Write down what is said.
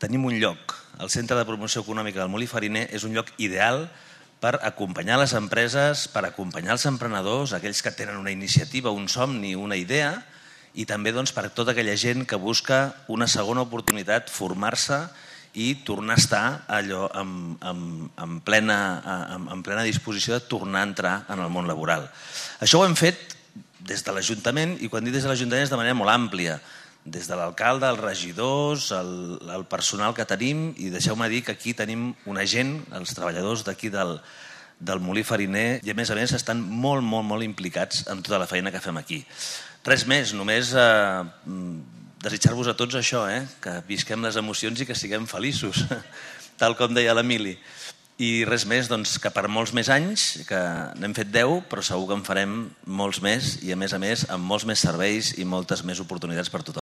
tenim un lloc. El Centre de Promoció Econòmica del Molí Fariner és un lloc ideal per acompanyar les empreses, per acompanyar els emprenedors, aquells que tenen una iniciativa, un somni, una idea, i també per tota aquella gent que busca una segona oportunitat, formar-se i tornar a estar allò en plena disposició de tornar a entrar en el món laboral. Això ho hem fet des de l'Ajuntament, i quan dic des de l'Ajuntament és de manera molt àmplia, des de l'alcalde, els regidors, el personal que tenim, i deixeu-me dir que aquí tenim una gent, els treballadors d'aquí del Molí Fariner, i a més estan molt implicats en tota la feina que fem aquí. Res més, només desitjar-vos a tots això, que visquem les emocions i que siguem feliços, tal com deia l'Emili. I res més, que per molts més anys, que n'hem fet 10, però segur que en farem molts més i a més amb molts més serveis i moltes més oportunitats per tothom.